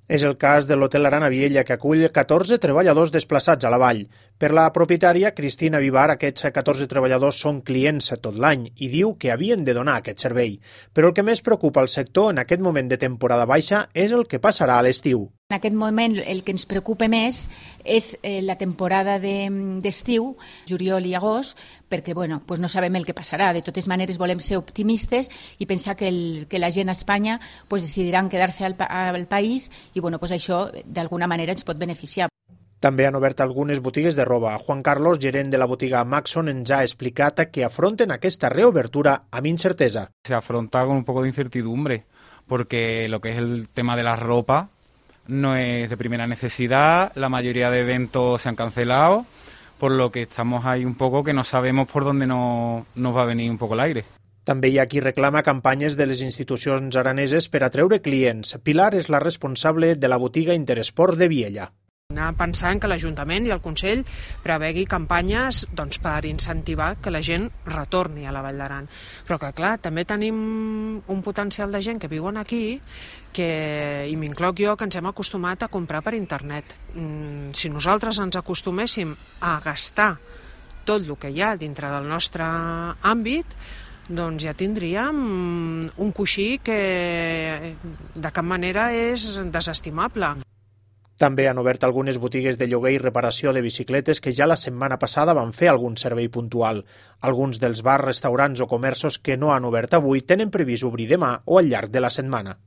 És el cas de l'Hotel Arana Viella, que acull 14 treballadors desplaçats a la vall. Per la propietària, Cristina Vivar, aquests 14 treballadors són clients tot l'any i diu que havien de donar aquest servei. Però el que més preocupa al sector en aquest moment de temporada baixa és el que passarà a l'estiu. En aquest moment el que ens preocupa més és la temporada d'estiu, juliol i agost, perquè no sabem el que passarà. De totes maneres volem ser optimistes i pensar que la gent a Espanya decidiran quedar-se al país i això d'alguna manera ens pot beneficiar. També han obert algunes botigues de roba. Juan Carlos, gerent de la botiga Maxon, ens ha explicat que afronten aquesta reobertura amb incertesa. Se afronta con un poco de incertidumbre, porque lo que es el tema de la ropa no es de primera necesidad, la mayoría de eventos se han cancelado, por lo que estamos ahí un poco que no sabemos por dónde nos va a venir un poco el aire. També hi ha qui reclama campanyes de les institucions araneses per atreure clients. Pilar és la responsable de la botiga Interesport de Viella. Anar pensant que l'Ajuntament i el Consell prevegui campanyes per incentivar que la gent retorni a la Vall d'Aran. Però que, clar, també tenim un potencial de gent que viuen aquí i m'incloc jo, que ens hem acostumat a comprar per internet. Si nosaltres ens acostuméssim a gastar tot el que hi ha dintre del nostre àmbit, doncs ja tindríem un coixí que de cap manera és desestimable. També han obert algunes botigues de lloguer i reparació de bicicletes que ja la setmana passada van fer algun servei puntual. Alguns dels bars, restaurants o comerços que no han obert avui tenen previst obrir demà o al llarg de la setmana.